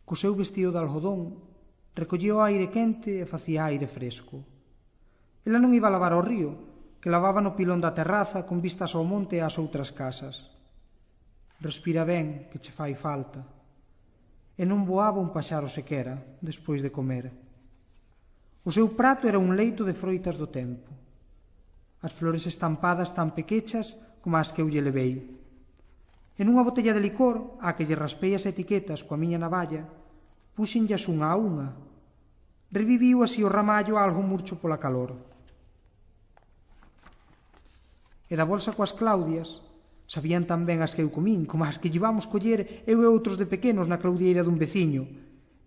Co seu vestido de algodón, recollía o aire quente e facía aire fresco. Ela non iba a lavar ao río, que lavaba no pilón da terraza con vistas ao monte e ás outras casas. Respira ben, que che fai falta. E non voaba un paxaro sequera, despois de comer. O seu prato era un leito de froitas do tempo. As flores estampadas tan pequechas como as que eu lle levei. E nunha botella de licor, á que lle raspei as etiquetas coa miña navalla, puxenllas unha a unha. Reviviu así o ramallo algo murcho pola calor. E da bolsa coas claudias, sabían tan ben as que eu comín, como as que llevamos coller eu e outros de pequenos na claudieira dun veciño.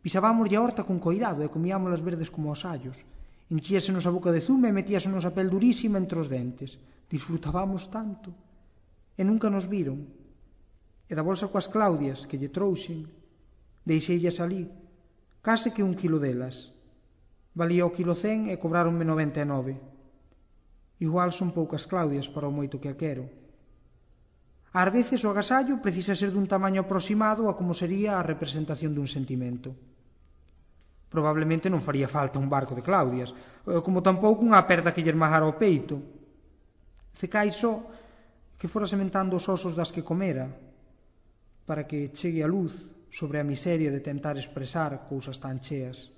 Pisábamoslle a horta con coidado e comíamolas verdes como os allos. Enchíasenos a boca de zume e metíasenos a pel durísima entre os dentes. Disfrutábamos tanto. E nunca nos viron. E da bolsa coas claudias que lle trouxen, deixeillas ali, case que 1 quilo delas. Valía o quilo 100 e cobráronme 99. Igual son poucas claudias para o moito que a quero. Ás veces o agasallo precisa ser dun tamaño aproximado a como sería a representación dun sentimento. Probablemente non faría falta un barco de claudias, como tampouco unha aperta que lle esmagara o peito. Cecai só que fora sementando os osos das que comera, para que chegue a luz sobre a miseria de tentar expresar cousas tan cheas.